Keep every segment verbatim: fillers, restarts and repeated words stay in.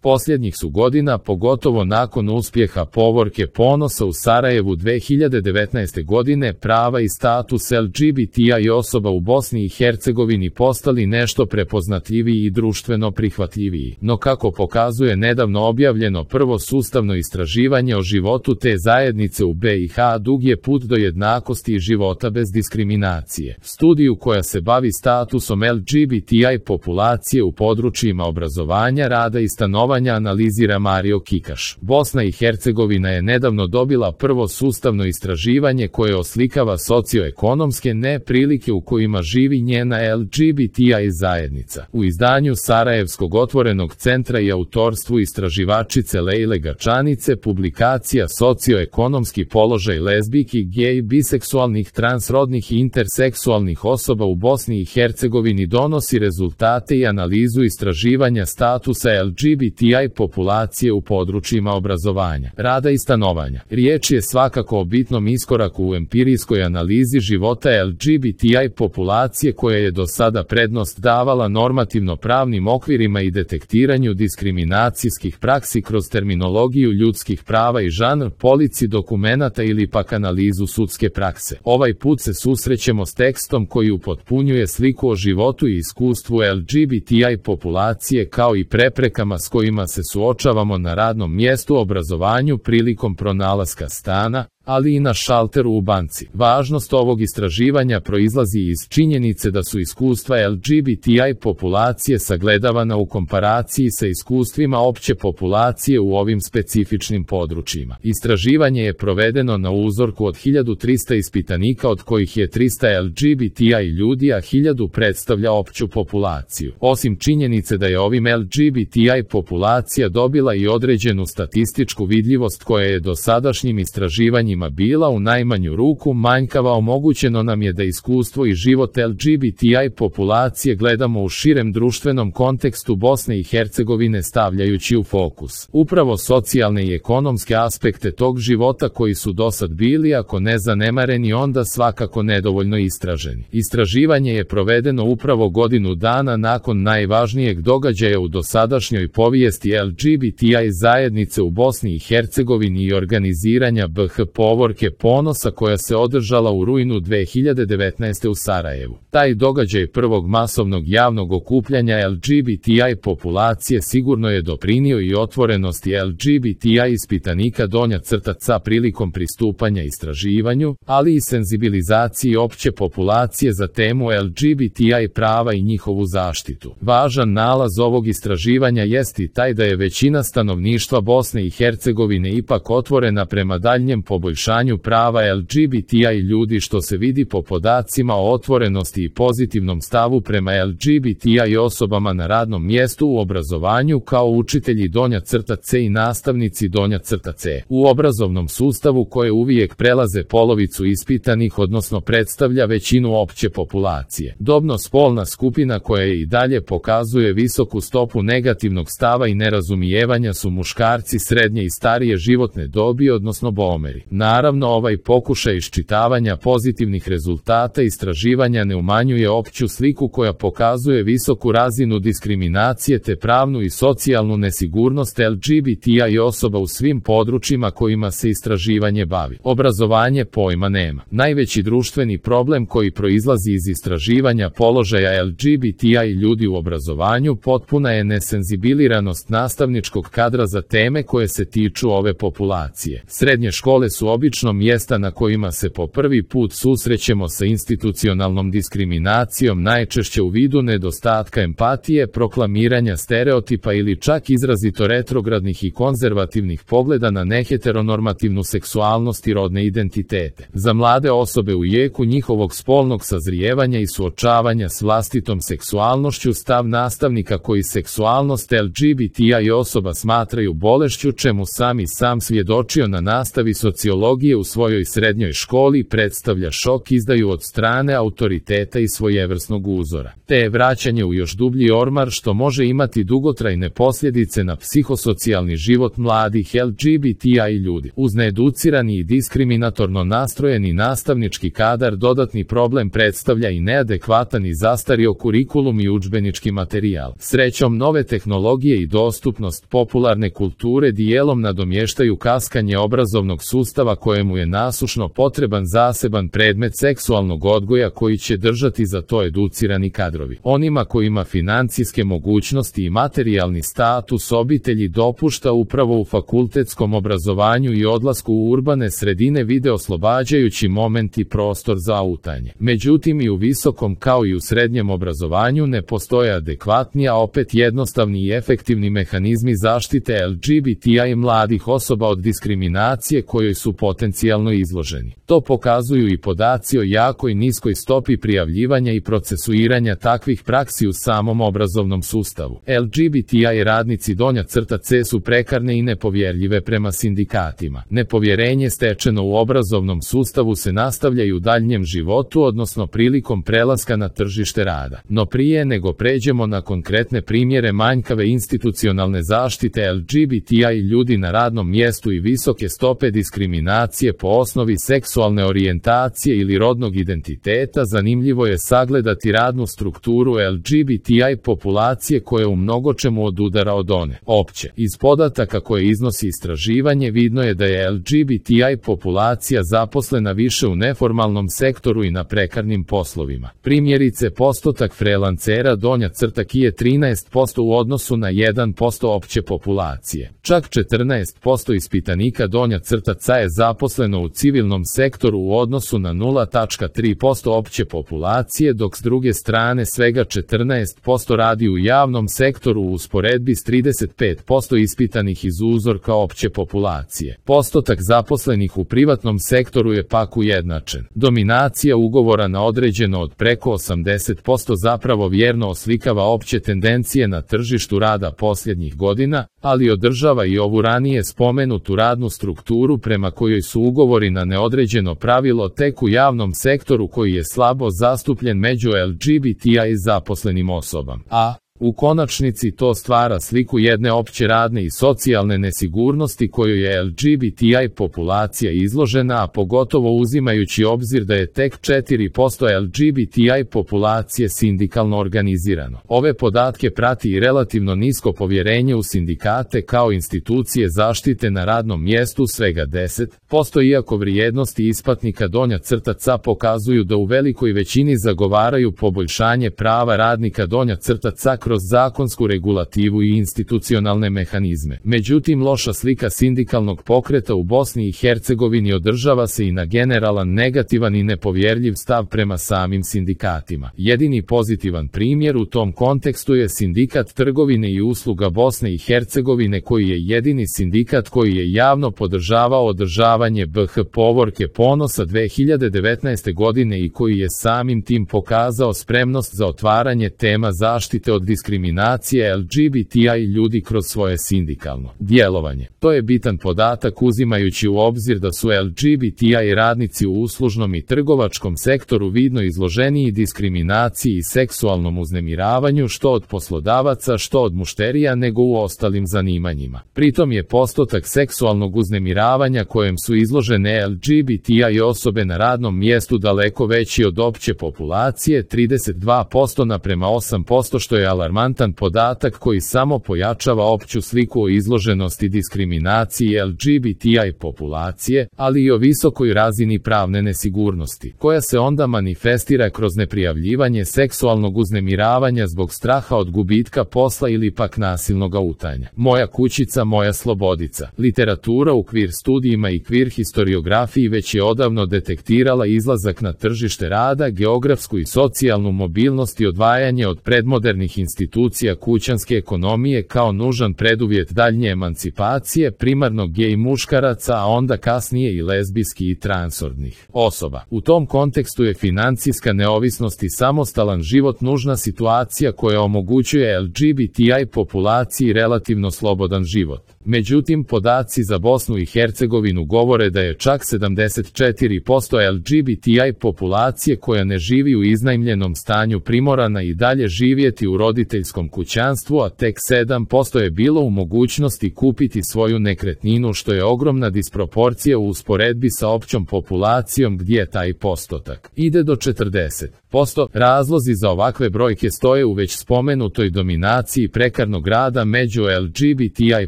Posljednjih su godina, pogotovo nakon uspjeha Povorke ponosa u Sarajevu dve hiljade devetnaeste godine, prava i status L G B T I osoba u Bosni i Hercegovini postali nešto prepoznatljiviji i društveno prihvatljiviji. No kako pokazuje nedavno objavljeno prvo sustavno istraživanje o životu te zajednice u B i H, dug je put do jednakosti i života bez diskriminacije. Studiju koja se bavi statusom L G B T I populacije u područjima obrazovanja, rada i stanovanja analizira Mario Kikaš. Bosna i Hercegovina je nedavno dobila prvo sustavno istraživanje koje oslikava socioekonomske neprilike u kojima živi njena L G B T I zajednica. U izdanju Sarajevskog otvorenog centra i autorstvu istraživačice Lejle Gačanice publikacija Socioekonomski položaj lezbijki, gej, biseksualnih, transrodnih i interseksualnih osoba u Bosni i Hercegovini donosi rezultate i analizu istraživanja statusa L G B T I populacije u područjima obrazovanja, rada i stanovanja. Riječ je svakako o bitnom iskoraku u empirijskoj analizi života L G B T I populacije koja je do sada prednost davala normativno pravnim okvirima i detektiranju diskriminacijskih praksi kroz terminologiju ljudskih prava i žanr polici dokumenata ili pak analizu sudske prakse. Ovaj put se susrećemo s tekstom koji upotpunjuje sliku o životu i iskustvu L G B T I populacije kao i preprekama s kojima se suočavamo na radnom mjestu, obrazovanju, prilikom pronalaska stana, ali i na šalteru u banci. Važnost ovog istraživanja proizlazi iz činjenice da su iskustva L G B T I populacije sagledavana u komparaciji sa iskustvima opće populacije u ovim specifičnim područjima. Istraživanje je provedeno na uzorku od hiljadu trista ispitanika, od kojih je trista L G B T I ljudi, a hiljadu predstavlja opću populaciju. Osim činjenice da je ovim L G B T I populacija dobila i određenu statističku vidljivost koja je dosadašnjim istraživanjima bila u najmanju ruku manjkava, omogućeno nam je da iskustvo i život L G B T I populacije gledamo u širem društvenom kontekstu Bosne i Hercegovine, stavljajući u fokus upravo socijalne i ekonomske aspekte tog života koji su dosad bili, ako ne zanemareni, onda svakako nedovoljno istraženi. Istraživanje je provedeno upravo godinu dana nakon najvažnijeg događaja u dosadašnjoj povijesti L G B T I zajednice u Bosni i Hercegovini i organiziranja B H Povorke ponosa koja se održala u rujnu dve hiljade devetnaeste. u Sarajevu. Taj događaj prvog masovnog javnog okupljanja L G B T I populacije sigurno je doprinio i otvorenosti L G B T I ispitanika donja crtaca prilikom pristupanja istraživanju, ali i senzibilizaciji opće populacije za temu L G B T I prava i njihovu zaštitu. Važan nalaz ovog istraživanja jest i taj da je većina stanovništva Bosne i Hercegovine ipak otvorena prema daljnjem poboljšanju prava L G B T I ljudi, što se vidi po podacima o otvorenosti i pozitivnom stavu prema L G B T I osobama na radnom mjestu, u obrazovanju kao učitelji donja crta C i nastavnici donja crta C. U obrazovnom sustavu koje uvijek prelaze polovicu ispitanih, odnosno predstavlja većinu opće populacije. Dobno-spolna skupina koja i dalje pokazuje visoku stopu negativnog stava i nerazumijevanja su muškarci srednje i starije životne dobi, odnosno bomeri. Naravno, ovaj pokušaj iščitavanja pozitivnih rezultata istraživanja ne umanjuje opću sliku koja pokazuje visoku razinu diskriminacije te pravnu i socijalnu nesigurnost L G B T I osoba u svim područjima kojima se istraživanje bavi. Obrazovanje pojma nema. Najveći društveni problem koji proizlazi iz istraživanja položaja L G B T I ljudi u obrazovanju potpuna je nesenzibiliranost nastavničkog kadra za teme koje se tiču ove populacije. Srednje škole su obično mjesta na kojima se po prvi put susrećemo sa institucionalnom diskriminacijom, najčešće u vidu nedostatka empatije, proklamiranja stereotipa ili čak izrazito retrogradnih i konzervativnih pogleda na neheteronormativnu seksualnost i rodne identitete. Za mlade osobe u jeku njihovog spolnog sazrijevanja i suočavanja s vlastitom seksualnošću, stav nastavnika koji seksualnost L G B T I osoba smatraju bolešću, čemu sami sam svjedočio na nastavi sociologije tehnologije u svojoj srednjoj školi predstavlja šok izdaju od strane autoriteta i svojevrsnog uzora, te je vraćanje u još dublji ormar što može imati dugotrajne posljedice na psihosocijalni život mladih L G B T I ljudi. Uz needucirani i diskriminatorno nastrojeni nastavnički kadar dodatni problem predstavlja i neadekvatan i zastario kurikulum i udžbenički materijal. Srećom, nove tehnologije i dostupnost popularne kulture dijelom nadomještaju kaskanje obrazovnog sustava kojemu je nasušno potreban zaseban predmet seksualnog odgoja koji će držati za to educirani kadrovi. Onima kojima financijske mogućnosti i materijalni status obitelji dopušta upravo u fakultetskom obrazovanju i odlasku u urbane sredine vide oslobađajući moment i prostor za autanje. Međutim, i u visokom kao i u srednjem obrazovanju ne postoje adekvatni, a opet jednostavni i efektivni mehanizmi zaštite L G B T I mladih osoba od diskriminacije kojoj su potencijalno izloženi. To pokazuju i podaci o jakoj niskoj stopi prijavljivanja i procesuiranja takvih praksi u samom obrazovnom sustavu. L G B T I radnici donja crta C su prekarne i nepovjerljive prema sindikatima. Nepovjerenje stečeno u obrazovnom sustavu se nastavlja i u daljnjem životu, odnosno prilikom prelaska na tržište rada. No prije nego pređemo na konkretne primjere manjkave institucionalne zaštite L G B T I ljudi na radnom mjestu i visoke stope diskriminacije po osnovi seksualne orijentacije ili rodnog identiteta, zanimljivo je sagledati radnu strukturu L G B T I populacije koja u mnogočemu odudara od one opće. Iz podataka koje iznosi istraživanje vidno je da je L G B T I populacija zaposlena više u neformalnom sektoru i na prekarnim poslovima. Primjerice, postotak freelancera donja crta K je trinaest posto u odnosu na jedan posto opće populacije. Čak četrnaest posto ispitanika donja crta C je zaposleno u civilnom sektoru u odnosu na nula zarez tri posto opće populacije, dok s druge strane svega četrnaest posto radi u javnom sektoru u usporedbi s trideset pet posto ispitanih iz uzorka opće populacije. Postotak zaposlenih u privatnom sektoru je pak ujednačen. Dominacija ugovora na određeno od preko osamdeset posto zapravo vjerno oslikava opće tendencije na tržištu rada posljednjih godina, ali održava i ovu ranije spomenutu radnu strukturu prema kojoj su ugovori na neodređeno pravilo tek u javnom sektoru koji je slabo zastupljen među L G B T I zaposlenim osobama. A u konačnici to stvara sliku jedne opće radne i socijalne nesigurnosti kojoj je L G B T I populacija izložena, a pogotovo uzimajući obzir da je tek četiri posto L G B T I populacije sindikalno organizirano. Ove podatke prati i relativno nisko povjerenje u sindikate kao institucije zaštite na radnom mjestu, svega deset posto, iako vrijednosti isplatnika donja crta C pokazuju da u velikoj većini zagovaraju poboljšanje prava radnika donja crta C kroz zakonsku regulativu i institucionalne mehanizme. Međutim, loša slika sindikalnog pokreta u Bosni i Hercegovini održava se i na generalan negativan i nepovjerljiv stav prema samim sindikatima. Jedini pozitivan primjer u tom kontekstu je Sindikat trgovine i usluga Bosne i Hercegovine, koji je jedini sindikat koji je javno podržavao održavanje B H povorke ponosa dve hiljade devetnaeste godine i koji je samim tim pokazao spremnost za otvaranje tema zaštite od diskriminacije L G B T I ljudi kroz svoje sindikalno djelovanje. To je bitan podatak uzimajući u obzir da su L G B T I radnici u uslužnom i trgovačkom sektoru vidno izloženiji diskriminaciji i seksualnom uznemiravanju što od poslodavaca što od mušterija nego u ostalim zanimanjima. Pritom je postotak seksualnog uznemiravanja kojem su izložene L G B T I osobe na radnom mjestu daleko veći od opće populacije, trideset dva posto naprema osam posto, što je alarmantan podatak koji samo pojačava opću sliku o izloženosti diskriminaciji L G B T I populacije, ali i o visokoj razini pravne nesigurnosti, koja se onda manifestira kroz neprijavljivanje seksualnog uznemiravanja zbog straha od gubitka posla ili pak nasilnog autanja. Moja kućica, moja slobodica. Literatura u queer studijima i queer historiografiji već je odavno detektirala izlazak na tržište rada, geografsku i socijalnu mobilnost i odvajanje od predmodernih institucija institucija kućanske ekonomije kao nužan preduvjet daljnje emancipacije primarno gej muškaraca, a onda kasnije i lezbijski i transrodnih osoba. U tom kontekstu je financijska neovisnost i samostalan život nužna situacija koja omogućuje L G B T I populaciji relativno slobodan život. Međutim, podaci za Bosnu i Hercegovinu govore da je čak sedamdeset četiri posto L G B T I populacije koja ne živi u iznajmljenom stanju primorana i dalje živjeti u roditeljskom kućanstvu, a tek sedam posto je bilo u mogućnosti kupiti svoju nekretninu, što je ogromna disproporcija u usporedbi sa općom populacijom gdje taj postotak ide do četrdeset posto. Razlozi za ovakve brojke stoje u već spomenutoj dominaciji prekarnog rada među L G B T I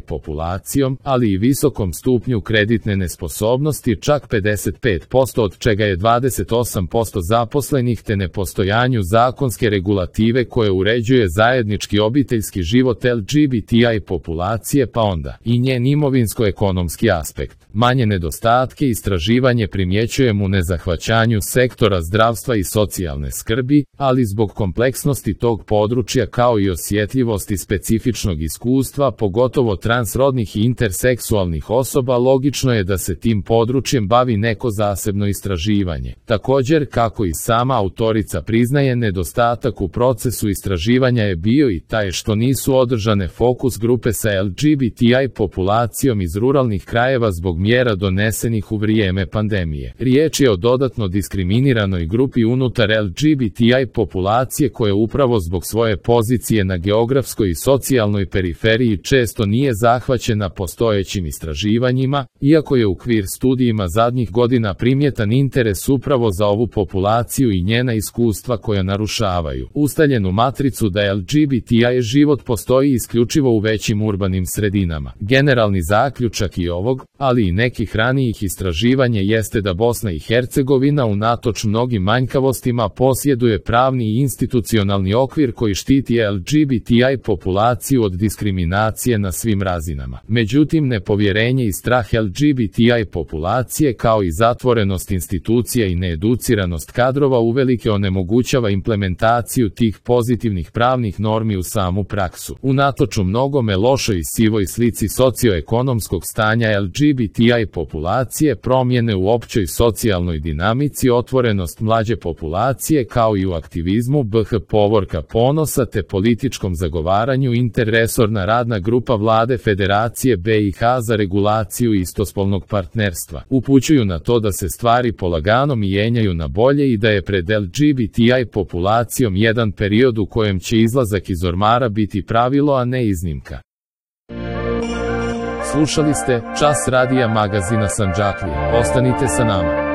populacijom, ali i visokom stupnju kreditne nesposobnosti, čak pedeset pet posto, od čega je dvadeset osam posto zaposlenih, te nepostojanju zakonske regulative koje uređuje zajednički obiteljski život L G B T I populacije, pa onda i njen imovinsko-ekonomski aspekt. Manje nedostatke istraživanje primjećujemo u nezahvaćanju sektora zdravstva i socijalne skrbi, ali zbog kompleksnosti tog područja kao i osjetljivosti specifičnog iskustva, pogotovo transrodnih i interseksualnih osoba, logično je da se tim područjem bavi neko zasebno istraživanje. Također, kako i sama autorica priznaje, nedostatak u procesu istraživanja je bio i taj što nisu održane fokus grupe sa L G B T I populacijom iz ruralnih krajeva zbog mjera donesenih u vrijeme pandemije. Riječ je o dodatno diskriminiranoj grupi unutar L G B T I populacije koja upravo zbog svoje pozicije na geografskoj i socijalnoj periferiji često nije zahvaćena postojećim istraživanjima, iako je u queer studijima zadnjih godina primjetan interes upravo za ovu populaciju i njena iskustva koja narušavaju ustaljenu matricu da L G B T I život postoji isključivo u većim urbanim sredinama. Generalni zaključak i ovog, ali i nekih ranijih istraživanja jeste da Bosna i Hercegovina unatoč mnogim manjkavostima posjeduje pravni i institucionalni okvir koji štiti L G B T I populaciju od diskriminacije na svim razinama. Međutim, nepovjerenje i strah L G B T I populacije kao i zatvorenost institucija i needuciranost kadrova uvelike onemogućava implementaciju tih pozitivnih pravnih normi u samu praksu. Unatoč mnogome lošoj i sivoj slici socioekonomskog stanja L G B T I populacije, promjene u općoj socijalnoj dinamici, otvorenost mlađe populacije kao i u aktivizmu B H Povorka Ponosa te političkom zagovaranju, interresorna radna grupa vlade Federacije B i H za regulaciju istospolnog partnerstva upućuju na to da se stvari polagano mijenjaju na bolje i da je pred L G B T I populacijom jedan period u kojem će izlazak iz ormara biti pravilo, a ne iznimka. Slušali ste Čas radija magazina Sandžaklija. Ostanite sa nama.